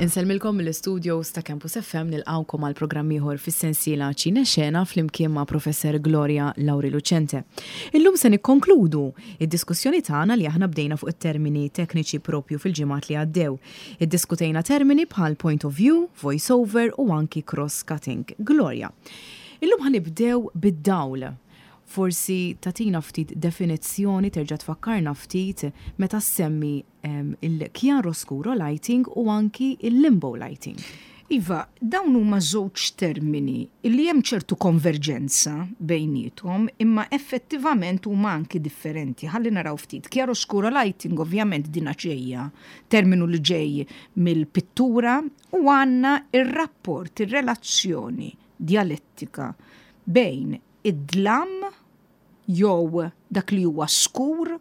Insellmilkom mill-istudios ta' Campus FM nilqgħukom għal programm ieħor fis-sensiela Ċine Xena flimkien ma' Professor Gloria Lauri Lucente. Illum se nikkonkludu id-diskussjoni tagħna li aħna bdejna fuq it-termini tekniċi propju fil-ġimgħat li għaddew. Iddiskutejna termini bħal point of view, voice over u anki cross cutting. Gloria, illum ħa nibdew bid-dawl. Forsi tagħtina ftit definizzjoni terġa' tfakkarna ftit meta ssemmi il-chiaroscuro lighting u anki il-limbo lighting. Iva, dawn huma żewġ termini li hemm ċertu konverġenza bejniethom imma effettivament huma anki differenti. Ħalli naraw ftit. Chiaroscuro lighting ovvjament dina ġejja, terminu li ġej mill-pittura u għandna ir-rapport, ir-relazzjoni djalettika bejn id-dlam jew dak li huwa skur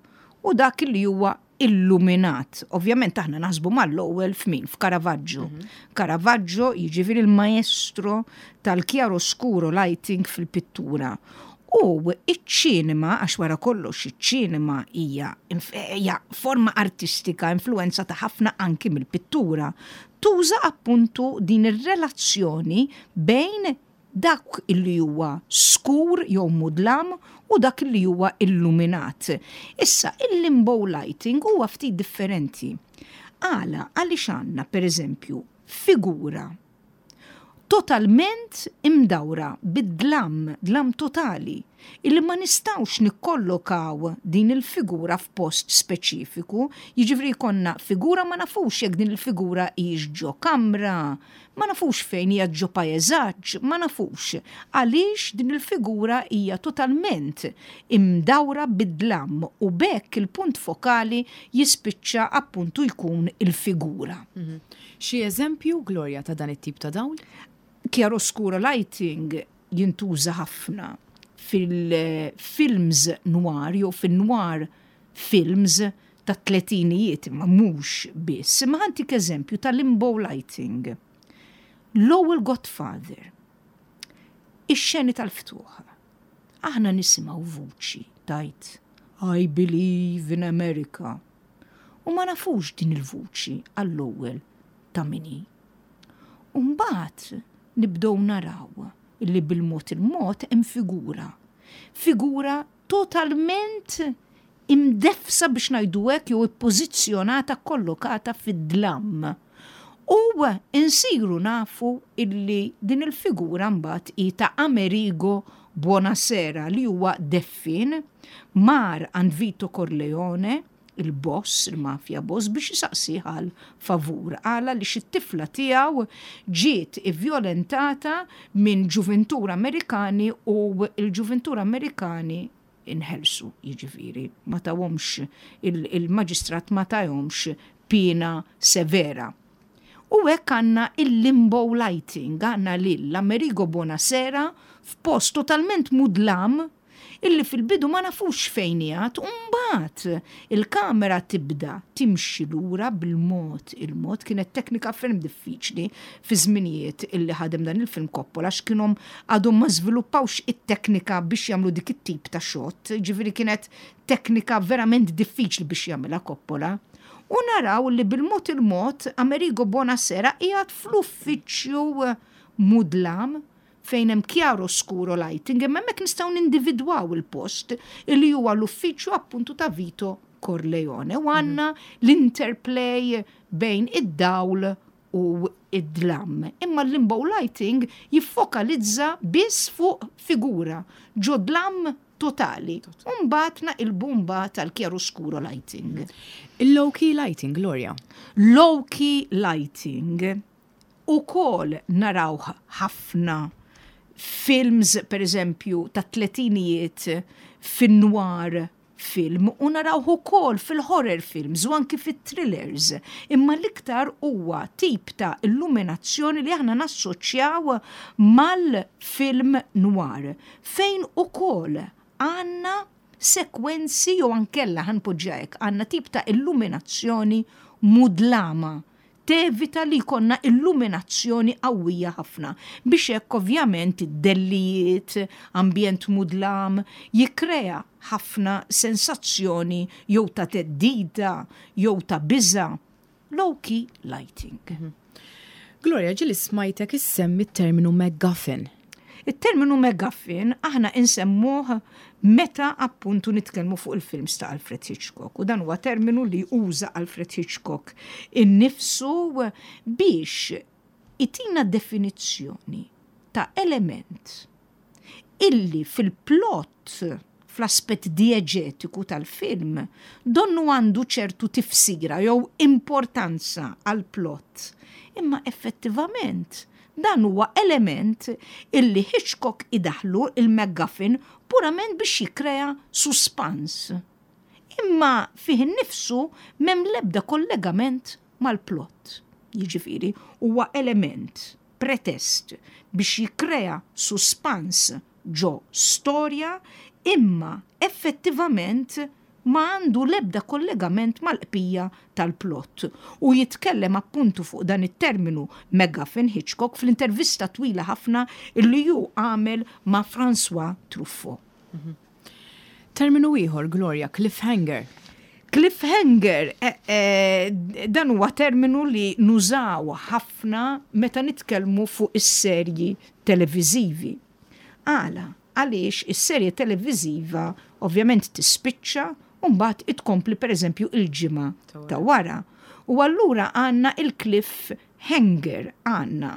u dak li huwa illuminat. Ovvjament aħna naħsbu mal-ewwel f'min? F'Caravaggio. Caravaggio jiġifieri l-maestro tal-chiaroscuro lighting fil-pittura. U iċ-ċinema, għax wara kollox iċ-ċinema hija hija forma artistika influenzata ħafna anki mill-pittura, tuża appuntu din ir-relazzjoni bejn dak li huwa skur jew mudlam u dak li huwa illuminat. Issa, il-limbo lighting huwa ftit differenti. Għala, għaliex għandna, per eżempju, figura totalment imdawra bid-dlam, dlam totali, illi ma nistgħux nikkollokaw din il-figura f'post speċifiku, jiġifieri jkollna figura ma nafux jekk din il-figura hijiex ġo kamra, Ma nafux fejn hija ġo paeżaġġ, ma nafux għaliex din il-figura hija totalment imdawra bid-dlam u b'hekk il-punt fokali jispiċċa appuntu jkun il-figura. Xi eżempju, Gloria, ta' dan it-tip ta' dawl? Chiaroscuro lighting jintuża ħafna fil-films noir jew fin-noir films tat-tletinijiet imma mhux biss. Imma ħa ntik eżempju ta' limbo lighting. L-ewwel Godfather. Ix-xeni tal-ftuħ. Aħna nisimgħu vuċi tgħid I believe in America. U ma nafux din il-vuċi għall-ewwel ta' min hi. U mbagħad nibdew naraw illi bil-mod il-mod hemm figura. Figura totalment imdeffsa biex ngħidu hekk jew ippożizzjonata kollokata fid-dlam. U nsiru nafu illi din il-figura mbagħad hi ta' Amerigo Buonasera li huwa deffien, mar għand Vito Corleone, il-boss, il-mafja boss, biex isaqsih għal favur. Għala li it-tifla tiegħu ġiet ivvjolentata minn ġuvintur Amerikani u l-ġuvintur Amerikani inħelsu, jiġifieri ma tawhomx il-maġistrat ma tahomx piena severa. U hekk għandna il-limbo lighting, għandna lil Amerigo Buonasera f'post totalment mudlam illi fil-bidu ma nafux fejn qiegħed u mbagħad il-kamera tibda timxi lura bil-mod il-mod. Kienet teknika ferm diffiċli fi żminijiet illi ħadem dan il-film Coppola għax kienhom għadhom ma żviluppawx it-teknika biex jagħmlu dik it-tip ta' shot, ġifieri kienet teknika verament diffiċli biex jagħmilha Coppola. U naraw li bil-mod il-mod Amerigo Buonasera qiegħed fl-uffiċċju mudlam fejn hemm chiaroscuro lighting, imma hemmhekk nistgħu nindividwaw il-post illi huwa l-uffiċċju appuntu ta' Vito Corleone u għandna l-interplay bejn id-dawl u id-dlam. Imma l-limbo lighting jiffokalizza biss fuq figura ġo dlam totali. U mbagħad naqilbu mbagħad għal chiaroscuro lighting. Il-low key lighting, Gloria. Low key lighting ukoll narawh ħafna films, per eżempju, ta' tletinijiet fin-noir film u narawh ukoll fil-horror films u anki fit-thrillers. Imma l-iktar huwa tip ta' illuminazzjoni li aħna nassoċjaw mal-film noir, fejn ukoll għandna sekwenzi jew ankella ħa npoġġiha hekk, għandna tip ta' illuminazzjoni mudlama tevita li jkollna illuminazzjoni qawwija ħafna biex hekk ovvjament id-dellijiet, ambjent mudlam, jikkrea ħafna sensazzjoni jew ta' theddida jew ta' biża', low key lighting. Gloria, ġieli smajtek issemmi t-terminu MacGuffin. It-terminu MacGuffin aħna insemmuh meta appuntu nitkellmu fuq il-films ta' Alfred Hitchcock u dan huwa terminu li uża Alfred Hitchcock innifsu biex itina definizzjoni ta' element illi fil-plot, fl-aspett dieġetiku tal-film, donnu għandu ċertu tifsira jew importanza għall-plot, imma effettivament dan huwa element illi Hitchcock idaħħlu il-MacGuffin purament biex jikkrea suspans. Imma fih innifsu m'hemm l-ebda kollegament mal-plot. Jiġifieri huwa element pretest biex jikkrea suspans ġo storja imma effettivament ma għandu l-ebda kollegament mal-qbija tal-plot. U jitkellem appuntu fuq dan it-terminu MacGuffin Hitchcock fl-intervista twila ħafna li hu għamel ma' François Truffaut. Terminu ieħor, Gloria, cliffhanger. Cliffhanger, eh, eh, dan huwa terminu li nużaw ħafna meta nitkellmu fuq is-serji televiżivi. Għala, għaliex is-serje televiżiva ovvjament tispiċċa u mbagħad itkompli pereżempju il-ġimgħa ta' wara. U allura għandna il-cliffhanger għandna.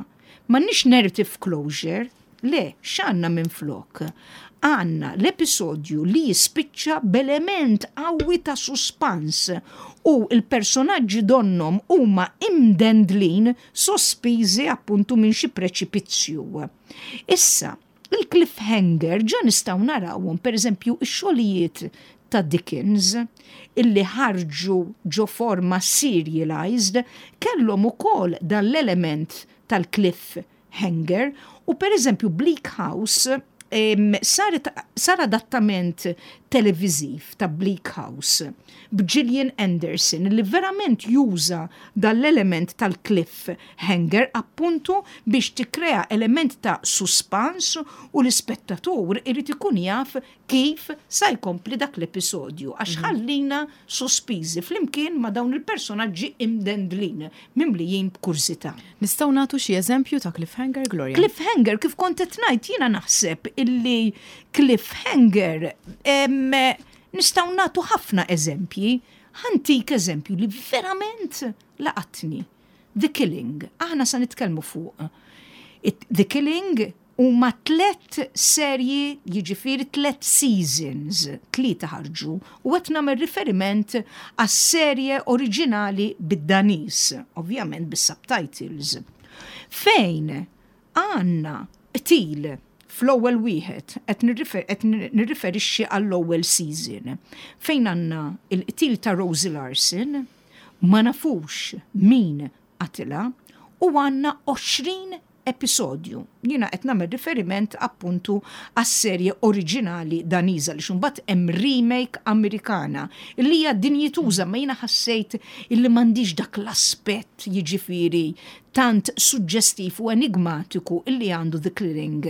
M'għandniex narrative closure, le, x'għandna minflok? Għandna l-episodju li jispiċċa b'element qawwi ta' suspans u l-personaġġi donnhom huma imdendlin sospiżi appuntu minn xi preċipizzju. Issa, il-cliffhanger ġa nistgħu narawhom pereżempju x-xogħlijiet ta' Dickens illi ħarġu ġo forma serialized kellhom ukoll dan l-element tal-cliffhanger u pereżempju Bleak House saret sar adattament televiżiv ta' Bleak House b'Gillian Anderson li verament juża dan l-element tal-cliffhanger appuntu biex tikkrea element ta' suspans u l-ispettatur irid ikun jaf kif sa jkompli dak l-episodju għax ħallina sospiżi flimkien ma' dawn il-personaġġi imdendlin, mimlijin b'kurżità. Nistgħu nagħtu xi eżempju ta' cliffhanger, Gloria? Cliffhanger, kif kont qed ngħid, jiena naħseb illi cliffhanger nistgħu nagħtu ħafna eżempji. Ħa ntik eżempju li verament laqatni. The Killing. Aħna sa nitkellmu fuq The Killing huma tlett serji jiġifieri tlett seasons, tlieta ħarġu u qed nagħmel riferiment għas-serje oriġinali bid-Daniż, ovvjament bis-subtitles. Fejn għandna qtil fl-ewwel wieħed qed nirriferixxi għall-ewwel season fejn għandna l-qtil ta' Rosie Larsen, ma nafux min qatilha u għandna 20 episodju. Jiena qed nagħmel riferiment appuntu għas-serje oriġinali Daniża li mbagħad hemm remake Amerikana li hija dinjituża ma jiena ħassejt illi m'għandix dak l-aspett jiġifieri tant suġġestiv u enigmatiku illi għandu The Killing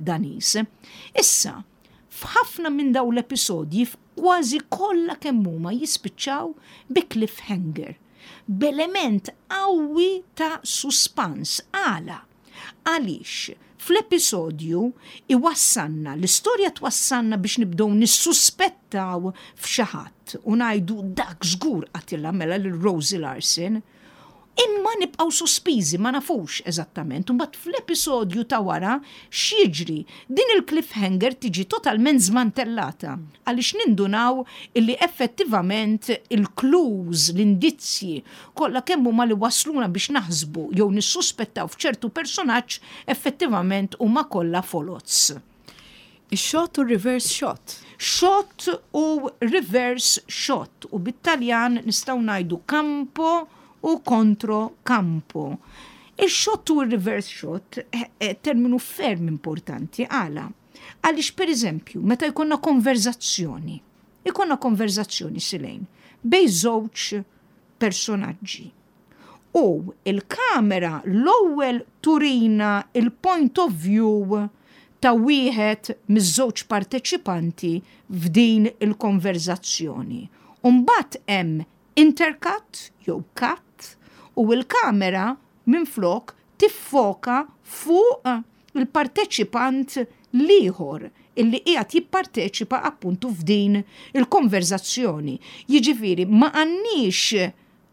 Daniż. Issa, f'ħafna minn dawn l-episodji kważi kollha kemm huma jispiċċaw bi cliffhanger b'element qawwi ta' suspans. Għala? Għaliex fl-episodju iwassalna, l-istorja twassalna biex nibdew nissuspettaw f'xi ħadd u ngħidu dak żgur qatilha mela lil Rosie Larsen. Imma nibqgħu sospiżi ma nafux eżattament. Imbagħad fl-episodju ta' wara x'jiġri? Din il-cliffhanger tiġi totalment żmantellata għaliex nindunaw illi effettivament il-clues, l-indizzji kollha kemm huma li wasluna biex naħsbu jew nissuspettaw f'ċertu personaġġ effettivament huma kollha foloz. Ix-shot u reverse shot. Shot u reverse shot u bit-Taljan nistgħu ngħidu campo u contro campo. Ix-shot u reverse shot terminu ferm importanti għala. Għaliex per eżempju, meta jkollna konverzazzjoni, jkollna konverzazzjoni silejn bejn żewġ personaġġi. U il-kamera l-ewwel turina il-point of view ta' wieħed miż-żewġ parteċipanti f'din il-konverzazzjoni. Umbagħad hemm intercut jew cut u l-kamera minflok tiffoka fuq il-parteċipant l-ieħor illi qiegħed jipparteċipa appuntu f'din il-konverżazzjoni. Jiġifieri ma għandniex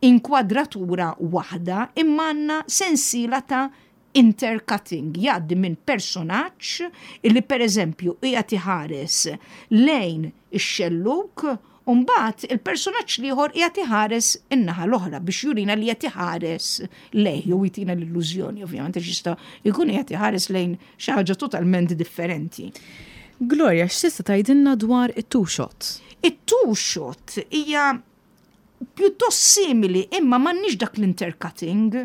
inkwadratura waħda imma għandna sensiela ta' intercutting, jgħaddi minn personaġġ illi pereżempju qiegħed iħares lejn ix-xellug u mbagħad il-personaġġ l-ieħor qiegħed iħares in-naħa l-oħra biex jurina li qed iħares lejh jew jtina l-illużjoni ovvjament għax jista' jkun qiegħed iħares lejn xi ħaġa totalment differenti. Gloria, x'tista' tgħidilna dwar it-two shot? It-two shot hija pjuttost simili imma m'għandniex dak l-intercutting.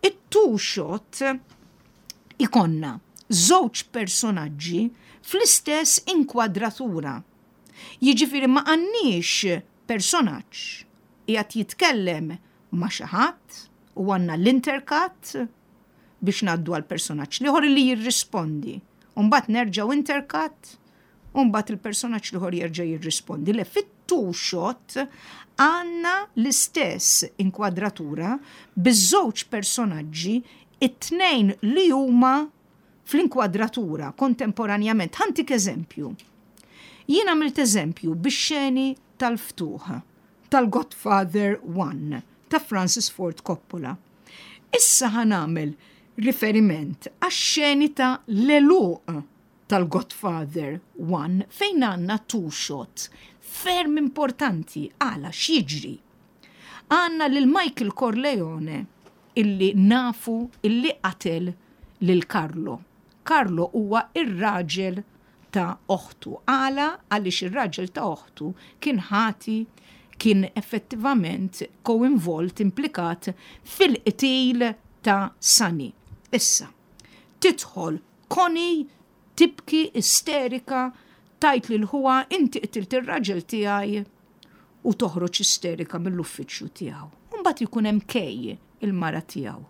It-two shot ikonna żewġ personaġġi fl-istess inkwadratura. Jiġifieri ma għandniex personaġġ qiegħed jitkellem ma' xi ħadd u għandna l-intercut biex ngħaddu għal personaġġ l-ieħor li jirrispondi. U mbagħad nerġgħu intercut u mbagħad il-personaġġ l-ieħor jerġa' jirrispondi. Le fit-two shot għandna l-istess inkwadratura biż-żewġ personaġġi it-tnejn li huma fl-inkwadratura kontemporanjament. Ħa ntik eżempju. Jien għamilt eżempju bix-xeni tal-ftuħ tal-Godfather 1 ta' Francis Ford Coppola. Issa ħa nagħmel riferiment għax-xeni ta' l-għeluq tal-Godfather 1 fejn għandna two shot ferm importanti għala x'jiġri. Għandna lil Michael Corleone illi nafu illi qatel lil Carlo. Carlo huwa ir-raġel ta' oħtu. Għala? Għaliex ir-raġel ta' oħtu kien ħati kien effettivament co-involt, implikat fil-qtil ta' Sonny. Issa, tidħol Connie tibki isterika tgħid lil ħuha inti qtilt ir-raġel tiegħi u toħroġ isterika mill-uffiċċju tiegħu. U mbagħad jkun hemm Kay, il-mara tiegħu.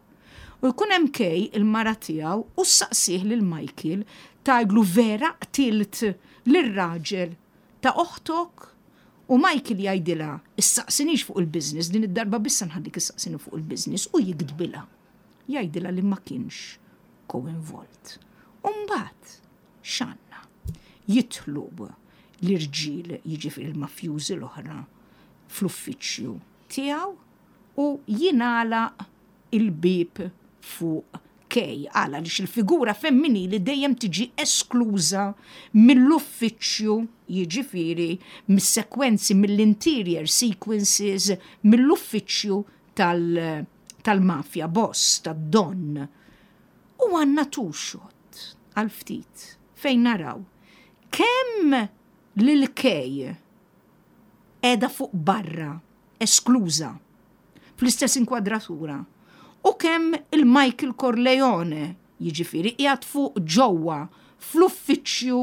U jkun hemm Kay, il-mara tiegħu, u ssaqsih lil Michael tgħidlu vera qtilt lir-raġel ta' oħtok? U Michael jgħidilha issaqsinix fuq il-business, din id-darba biss se nħallik issaqsini fuq il-business u jigdbilha. Jgħidilha li ma kienx co-involt. U mbagħad x'għandna? Jidħlu l-irġiel, jiġifieri l-mafjużi l-oħra, fl-uffiċċju tiegħu u jingħalaq il-bieb fuq Kay. Għala? Għaliex il-figura femminili dejjem tiġi eskluża mill-uffiċċju, jiġifieri mis-sekwenzi, mill-interior sequences, mill-uffiċċju tal-mafja boss, tad-don. U għandna two shot għal ftit fejn naraw kemm lil Kay qiegħda fuq barra, eskluża, fl-istess inkwadratura, u kemm il-Michael Corleone, jiġifieri qiegħed fuq ġewwa fl-uffiċċju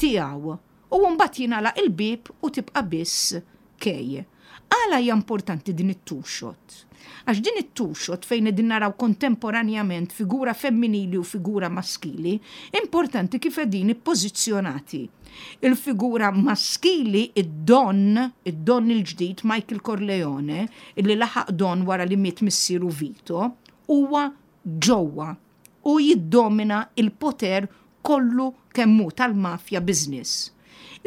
tiegħu u mbagħad jingħalaq il-bieb u tibqa' biss Kay. Għala hija importanti din it-two shot? Għax din it-two shot fejn qegħdin naraw kontemporanjament figura femminili u figura maskili, importanti kif qegħdin ippożizzjonati. Il-figura maskili, id-Don, id-Don il-ġdid Michael Corleone, illi laħaq Don wara li miet missieru Vito, huwa ġewwa u jiddomina l-poter kollu kemm hu tal-mafja business.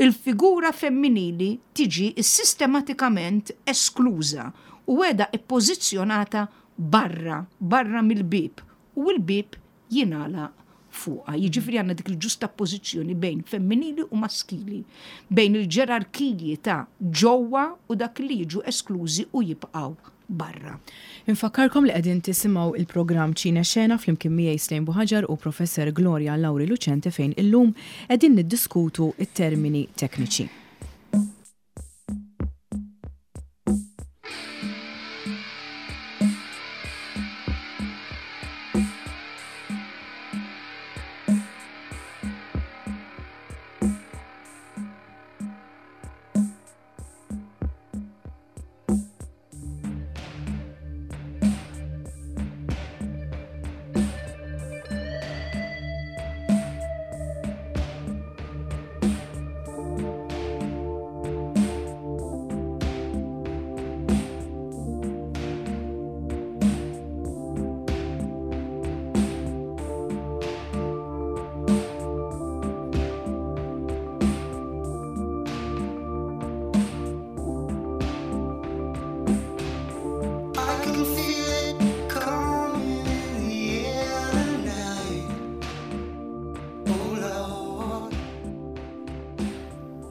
Il-figura femminili tiġi sistematikament eskluża u qiegħda ppożizzjonata barra, barra mill-bieb u l-bieb jingħalaq fuqha. Jiġifieri għandna dik il-ġustappożizzjoni bejn femminili u maskili, bejn il-ġerarkiji ta' ġewwa u dak li jiġu esklużi u jibqgħu barra. Infakkarkom li qegħdin tisimgħu il-programm Ċine Xena flimkien miegħi Slejn Buħaġar u Professor Gloria Lauri Lucente fejn illum qegħdin niddiskutu t-termini tekniċi.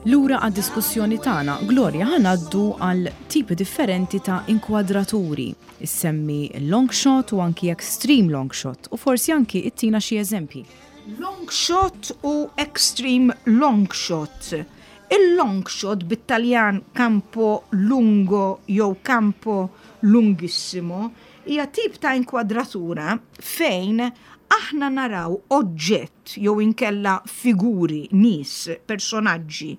Lura għad-diskussjoni tagħna, Gloria ħa ngħaddu għal tipi differenti ta' inkwadraturi. Issemmi long shot u anki extreme long shot u forsi anki ittina xi eżempji. Long shot u extreme long shot. Il-long shot bit-Taljan campo lungo jew campo lunghissimo hija tip ta' inkwadratura fejn aħna naraw oġġett jew inkella figuri, nies, personaġġi,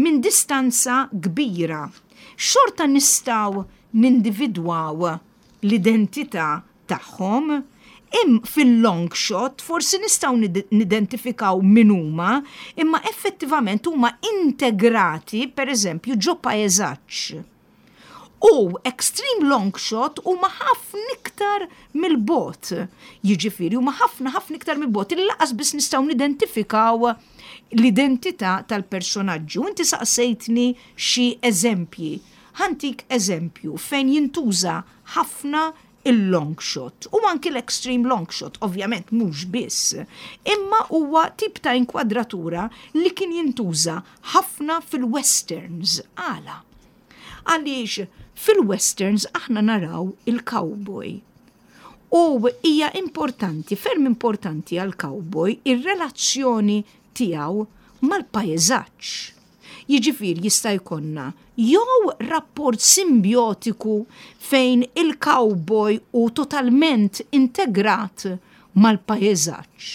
minn distanza kbira. Xorta nistgħu nindividwaw l-identità tagħhom, im fil-long shot forsi nistgħu nidentifikaw min huma, imma effettivament huma integrati, pereżempju, ġo paesaġġ. U extreme long shot huma ħafna iktar mill-bogħod. Jiġifieri huma ħafna ħafna iktar mill-bogħod illi lanqas biss nistgħu nidentifikaw l-identità tal-personaġġi. U inti saqsejtni xi eżempji. Ħa ntik eżempju fejn jintuża ħafna il-long shot u anki l-extreme long shot, ovvjament mhux biss, imma huwa tip ta' inkwadratura li kien jintuża ħafna fil-westerns. Għala? Għaliex fil-westerns aħna naraw il-cowboy. U hija importanti, ferm importanti għal-cowboy, ir-relazzjoni tiegħu mal-pajjeżaġġ. Jiġifieri jista' jkollna jew rapport simbjotiku fejn il-cowboy hu totalment integrat mal-pajjeżaġġ.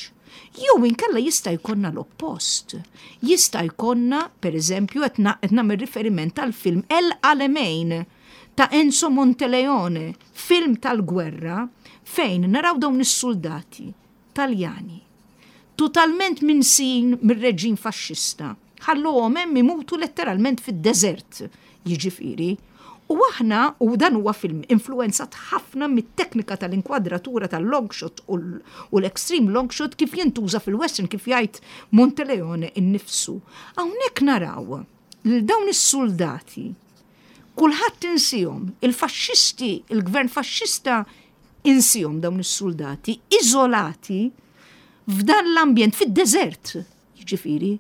Jew inkella jista' jkollna l-oppost. Jista' jkollna, pereżempju, qed nagħmel riferiment għall-film El Alamein ta' Enzo Monteleone, film tal-gwerra fejn naraw dawn is-suldati Taljani, totalment minsijin mir-reġim faxxista, ħalluhom hemm imutu letteralment fid-deżert, jiġifieri. U aħna, u dan huwa film influwenzat ħafna mit-teknika tal-inkwadratura tal-long shot u l-extreme long shot kif jintuża fil-western kif jgħid Monteleone innifsu. Hawnhekk naraw lil dawn is-suldati kulħadd insihom, il-faxxisti, il-gvern faxxista insihom dawn is-suldati iżolati f'dan l-ambjent fid-deżert, jiġifieri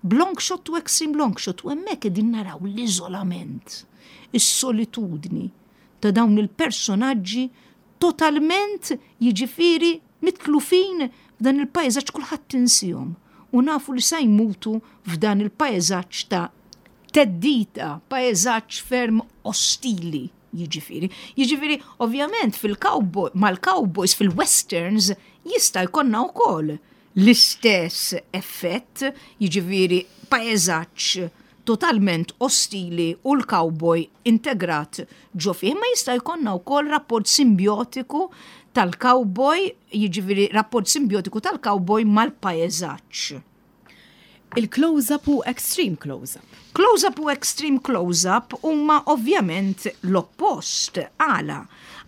b'long shot u extreme long shot u hemmhekk qegħdin naraw l-iżolament, is-solitudni ta' dawn il-personaġġi totalment jiġifieri mitlufin f'dan il-pajjeżaġġ kulħadd insihom u nafu li sa jmutu f'dan il-pajjeżaġġ ta' theddida, pajjeżaġġ ferm ostili jiġifieri. Jiġifieri, ovvjament fil-cowboy, mal-cowboys fil-westerns jista' jkollna wkoll l-istess effett, jiġifieri pajjeżaġġ totalment ostili u l-cowboy integrat ġo fih, ma jista' jkollna wkoll rapport simbjotiku tal-cowboy, jiġifieri rapport simbjotiku tal-cowboy mal-pajjeżaġġ. Il-close-up u extreme close-up. Close-up u extreme close-up huma ovvjament l-oppost. Għala?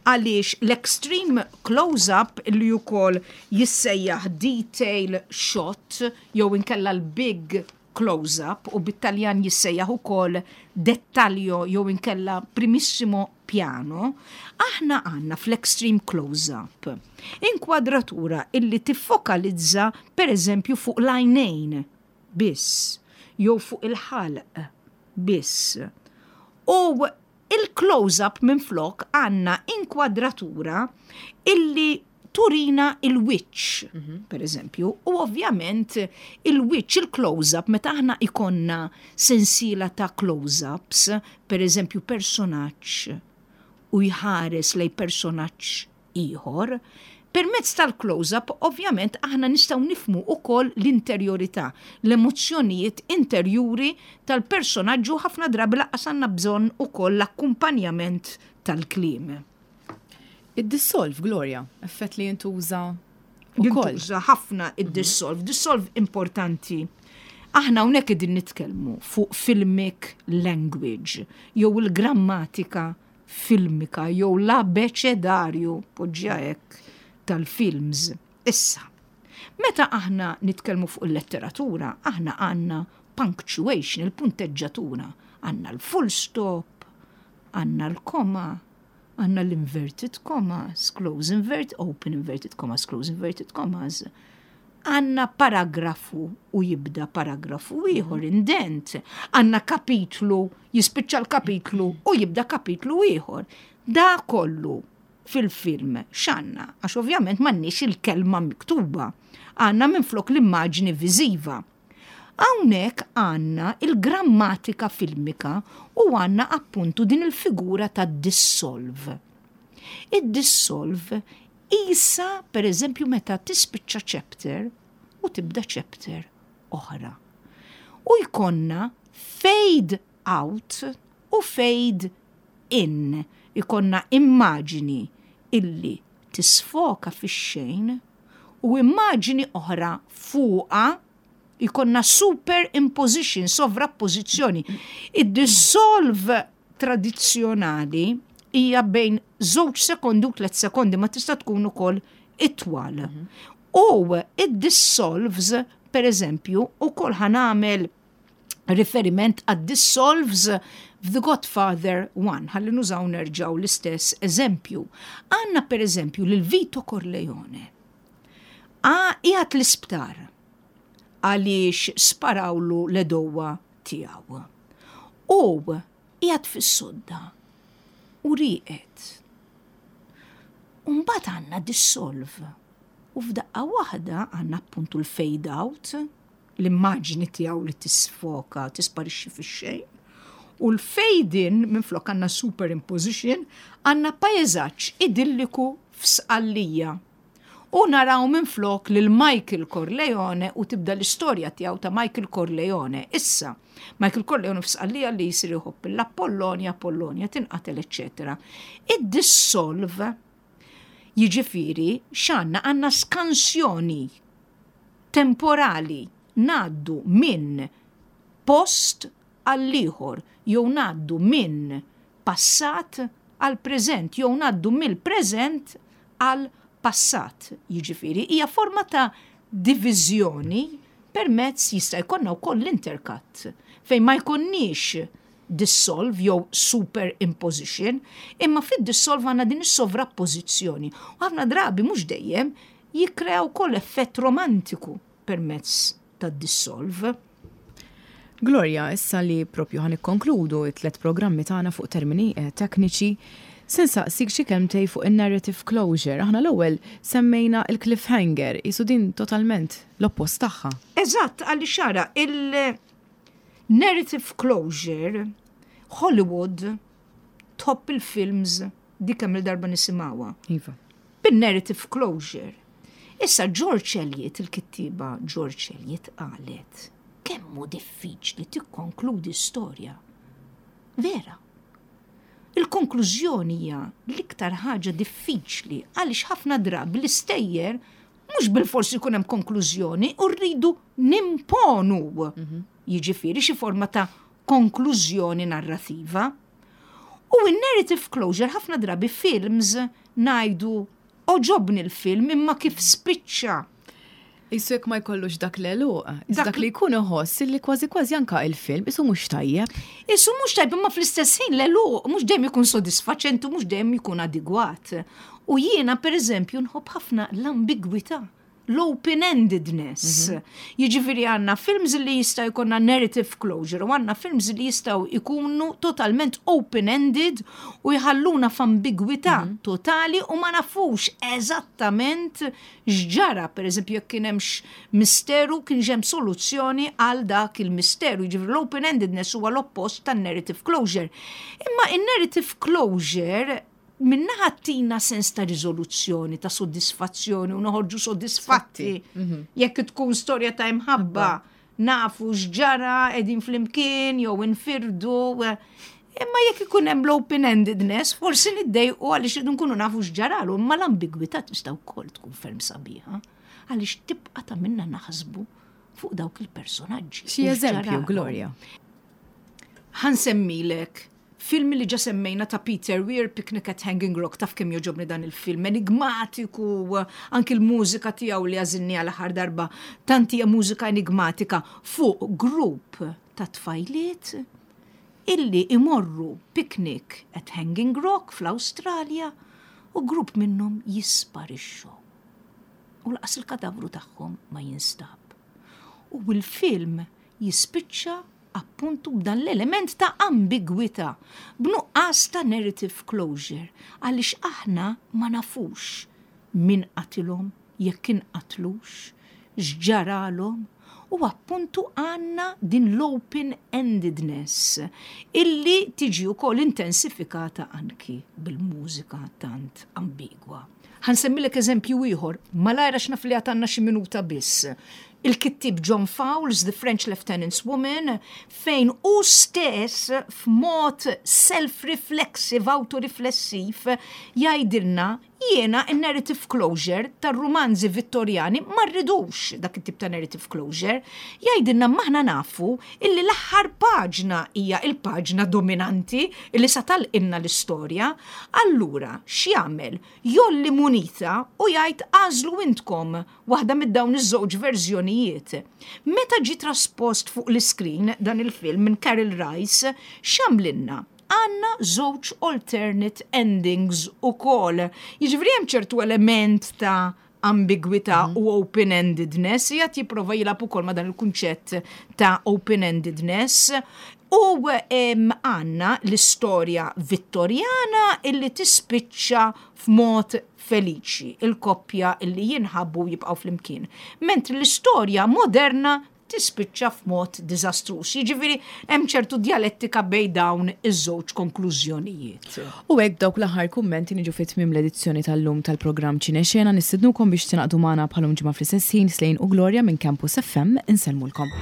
Għaliex l-extreme close-up li wkoll jissejjaħ detail shot jew inkella l-big close-up u bit-Taljan jissejjaħ ukoll dettaglio jew inkella primissimo piano, aħna għandna fl-extreme close-up inkwadratura illi tiffokalizza pereżempju fuq l-għajnejn biss jew fuq il-ħalq biss. U il-close-up minflok għandna inkwadratura illi turina il-wiċċ, mhm. per eżempju, u ovvjament il-wiċċ, il-close-up, meta aħna ikonna sensiela ta' close-ups, per eżempju personaġġ u jħares lej personaġġ ieħor, permezz tal-close-up ovvjament aħna nistgħu nifhmu ukoll l-interjorità, l-emozzjonijiet interjuri tal-personaġġ u ħafna drabi lanqas għandna bżonn ukoll l-akkumpanjament tal-kliem. Id-dissolve, Gloria, effett li jintuża ukoll. Jintuża ħafna id-dissolve. Dissolve importanti. Aħna hawnhekk qegħdin nitkellmu fuq filmic language jew il-grammatika filmika jew l-abeċedarju, poġġiha hekk, tal-films. Issa, meta aħna nitkellmu fuq il-letteratura, aħna għandna punctuation, il-punteġġatura, għandna l-full stop, għandna l-koma, għandna l-inverted commas, close invert, open inverted commas, close inverted commas. Għandna paragrafu u jibda paragrafu ieħor indent. Għandna kapitlu, jispiċċa l-kapitlu u jibda kapitlu ieħor. Da kollu fil-film x'għandna? Għax ovvjament m'għandniex il-kelma miktuba. Għandna minflok l-immaġni viżiva. Hawnhekk għandna il-grammatika filmika u għandna appuntu din il-figura ta' dissolve. Id-dissolve qisha pereżempju meta tispiċċa chapter u tibda chapter oħra. U jkollna fade out u fade in. Ikollna immaġini illi tisfoka fix-xejn u immaġini oħra fuqha jkollna superimposition, sovrappożizzjoni. Id-dissolve tradizzjonali hija bejn żewġ sekondi u tlet sekondi ma tista' tkun ukoll itwal. U id-dissolves, per eżempju, ukoll ħa nagħmel riferiment għad dissolves f'The Godfather 1, ħalli nużaw nerġaw l-istess eżempju. Għanna per eżempju lil Vito Corleone. Qiegħed l-isptar għaliex sparawlu l-għedewwa tiegħu. U qiegħed fis-sodda u rieqed. U mbagħad għandna dissolve. U f'daqqa waħda għandna appuntu l-fade out, l-immaġni tiegħu li tisfoka, tisparixxi fix-xejn. U l-fade in minflok għandna superimposition, għandna paesaġġ idilliku f'Sqallija. U naraw minflok lil Michael Corleone u tibda l-istorja tiegħu ta' Michael Corleone. Issa, Michael Corleone f'Sqallija li jsir iħobb l-Apollonia, Apollonia tinqatel, eċċetera. Id-dissolve jiġifieri x'għandna għandna skansjoni temporali ngħaddu minn post għall-ieħor jew ngħaddu minn passat għal preżent jew ngħaddu mill-preżent għal passat. Jiġifieri hija forma ta' diviżjoni permezz jista' jkollna wkoll l-intercut fejn ma jkollniex dissolve jew superimposition, imma fid-dissolve għandna din is-sovrappożizzjoni. U ħafna drabi mhux dejjem jikkrea wkoll effett romantiku permezz tad-dissolve. Gloria, issa li propju ħa nikkonkludu it-tlet programmi tagħna fuq termini tekniċi, se nsaqsik xi kelmtej fuq in-narrative closure. Aħna l-ewwel semmejna il-cliffhanger, jisu din totalment l-oppost tagħha. Eżatt, għaliex ara, il-narrative closure, Hollywood tħobb il-films dik kemm il-darba nisimgħuha. Iva. Bin-narrative closure. Issa George Eliot, il-kittiba George Eliot qalet kemm hu diffiċli tikkonkludi storja. Vera. Il-konklużjoni hija l-iktar ħaġa diffiċli għaliex ħafna drabi l-istejjer mhux bilfors ikun hemm konklużjoni u rridu nimponu. Jiġifieri xi forma ta' konklużjoni narrativa. U in-narrative closure ħafna drabi films ngħidu għoġobni l-film imma kif spiċċa. Isu jekk ma jkollux dak l-għeluq, dak li jkun iħoss li kważi kważi anka il-film isu mhux tajjeb. Isu mhux tajjeb imma fl-istess ħin l-għeluq mhux dejjem ikun sodisfaċenti u mhux dejjem ikun adegwat. U jiena pereżempju nħobb ħafna l-ambigwità, l-open-endedness. Jiġifieri għandna films li jista' jkollna narrative closure u għandna films li jistgħu jkunu totalment open-ended u jħalluna f'ambigwità totali u ma nafux eżattament x'ġara, per eżempju, jekk kien hemmx misteru, kien hemm soluzzjoni għal dak il-misteru. Jiġifieri l-open-endedness huwa l-oppost tan-narrative closure. Imma in-narrative closure minnaħa tina sens ta' riżoluzzjoni, ta' soddisfazzjoni u noħorġu soddisfatti. Jekk tkun storja ta' imħabba, nafu x'ġara, qegħdin flimkien jew infirdu. Imma jekk ikun hemm l-open-endedness, forsi niddejqu għaliex irridu nkunu nafu x'ġaralu, imma l-ambigwità tista' wkoll tkun ferm sabiħa għaliex tibqa' ta' minna naħsbu fuq dawk il-personaġġi. Xi u eżempju, x'ġaralu. Gloria? Ħa nsemmilek film li ġa semmejna ta' Peter Weir, Picnic at Hanging Rock, taf kemm jogħġobni dan il-film, enigmatiku, anki l-mużika tiegħu li għażilni għal aħħar darba, tant hija mużika enigmatika fuq grupp ta' tfajliet illi imorru picnic at Hanging Rock fl-Awstralja u grupp minnhom jisparixxu. U laqas il-kadavru tagħhom ma jinstab. U l-film jispiċċa appuntu b'dan l-element ta' ambigwità, b'nuqqas ta' narrative closure, għaliex aħna ma nafux min qatilhom, jekk inqatlux, x'ġaralhom, u appuntu għandna din l-open-endedness illi tiġi wkoll intensifikata anki bil-mużika tant ambigwa. Ħa nsemmilek eżempju ieħor, malajr għax naf li għad għandna xi minuta biss. Il-kittieb John Fowles, The French Lieutenant's Woman, fejn hu stess f'mod self-reflexive, autoriflessiv, jgħidilna jiena n-narrative closure tar-rumanzi Vittorjani ma rridux dak it-tip ta' narrative closure. Jgħidilna m'aħna nafu illi l-aħħar paġna hija l-paġna dominanti illi sa tagħlqilna l-istorja. Allura, x'jagħmel? Jgħolli munita u jgħid għażlu intkom waħda mid-dawn iż-żewġ verżjonijiet. Meta ġie traspost fuq l-iskrin dan il-film minn Karel Rice, x'għamlilna? Għandna żewġ alternate endings ukoll. Jiġifieri hemm ċertu element ta' ambigwità u open-endedness, jgħat jipprova jilgħab ukoll ma' dan il-kunċett ta' open-endedness. U għandna l-istorja Vittorjana illi tispiċċa f'mod feliċi, il-koppja illi jinħabbu jibqgħu flimkien. Mentri l-istorja moderna tispiċċa f'mod diżastruż. Jiġifieri hemm ċertu djalettika bejn dawn iż-żewġ konklużjonijiet. U hekk b'dawk l-aħħar kummenti niġu fi tmiem l-edizzjoni tal-lum tal-programm Ċinexena nistednukom biex tingħaqdu magħna bħalum ġimgħa fl-istess ħin Slane u Gloria minn Campus FM insellmulkom.